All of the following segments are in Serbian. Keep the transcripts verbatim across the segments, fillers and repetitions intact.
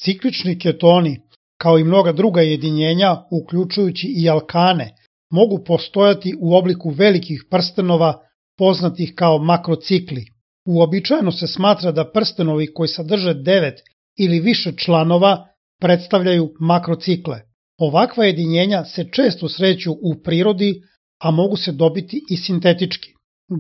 Ciklični ketoni, kao i mnoga druga jedinjenja, uključujući i alkane, mogu postojati u obliku velikih prstenova poznatih kao makrocikli. Uobičajeno se smatra da prstenovi koji sadrže devet ili više članova predstavljaju makrocikle. Ovakva jedinjenja se često sreću u prirodi, a mogu se dobiti i sintetički.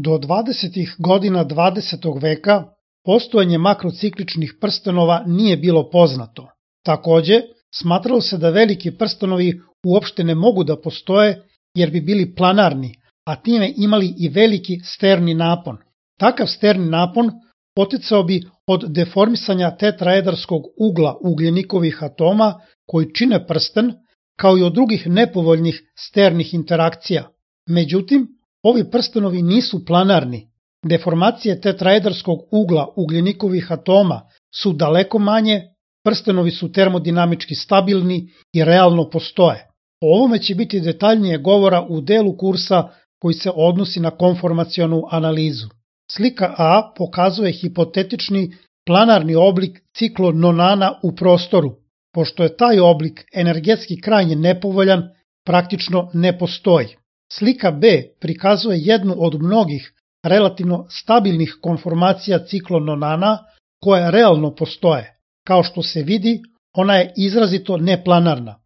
Do dvadesetih godina dvadesetog veka postojanje makrocikličnih prstenova nije bilo poznato. Takođe, smatralo se da veliki prstenovi uopšte ne mogu da postoje jer bi bili planarni, a time imali i veliki sterni napon. Takav sterni napon poticao bi od deformisanja tetraedarskog ugla ugljenikovih atoma koji čine prsten, kao i od drugih nepovoljnih sternih interakcija. Međutim, ovi prstenovi nisu planarni. Deformacije tetraedarskog ugla ugljenikovih atoma su daleko manje, prstenovi su termodinamički stabilni i realno postoje. O ovome će biti detaljnije govora u delu kursa koji se odnosi na konformacionu analizu. Slika A pokazuje hipotetični planarni oblik ciklononana u prostoru. Pošto je taj oblik energetski krajnje nepovoljan, praktično ne postoji. Slika B prikazuje jednu od mnogih relativno stabilnih konformacija ciklononana koje realno postoje. Kao što se vidi, ona je izrazito neplanarna.